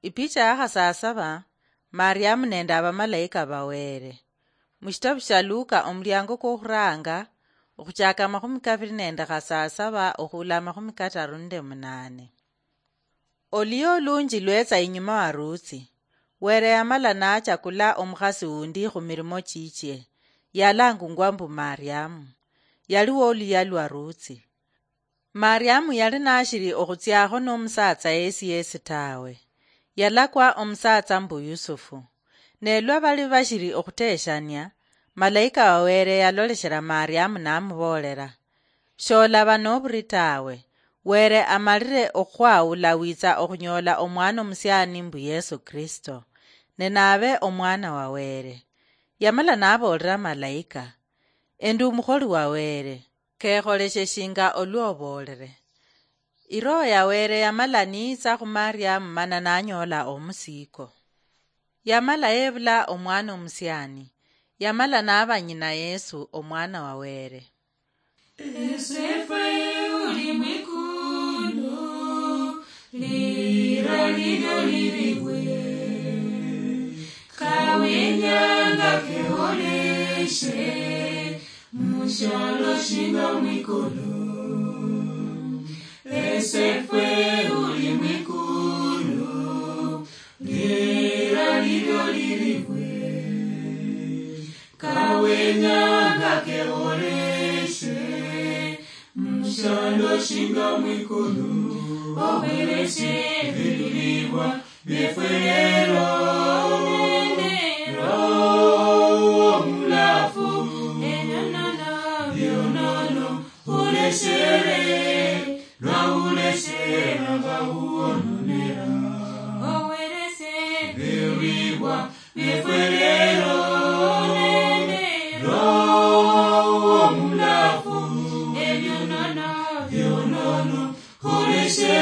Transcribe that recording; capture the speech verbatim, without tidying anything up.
Ipicha ya khasasaba, Mariamu nende abamalaika ba Wele. Mushitabu shia Luka, omuliango kwokhuranga, okhuchaka amakhumi kabiri nende khasasaba okhula amakhumi kataru nende munane. Oluya olunji lwetsa inyuma wa Rutsi. Wele yamala nachakula omukhasi wundi khumilimo chichie, yalangungwa mbu Mariamu. Yali woluya lwa Rutsi. Mariamu yali nashili okhutsiakho nomusatsa yesi yesi tawe. Yalakwa omusatsa mbu Yusufu. Ne lwa bali bashili okhuteshania, malaika wa Wele yaloleshela Mariamu namuboolera, "Sholaba noburi tawe. Wele amalile okhwawula witsa okhunyoola omwana omusiani mbu Yesu Kristo, ne nabe omwana wa Wele." Yamala naboolera malaika, "Endi omukholi wa Wele. Kekholeshe shinga olwoboolere." Iroho ya Wele yamala niitsa khu Mariamu mana nanyoola omusiiko. Yamala yebula omwana omusiani. Yamala naba nyina Yesu, omwana wa Wele. Esefwe uli mwikulu, lira lilyo liliwe. Kawinyanga keoleshe, mushalo shinga mwikulu. Esefwe uli mwikulu, lira lilyo liliwe. Kawenyanga keoleshe, mushalo shinga mwikulu. Obereshe ebilibwa byefwe lero. Omulafu, ebyonono, byonono, oleshere, lwa uleshere, nga uononera. Owereshe ebilibwa byefwe lero. Roho Mulafu, ebyonono, byonono, oleshe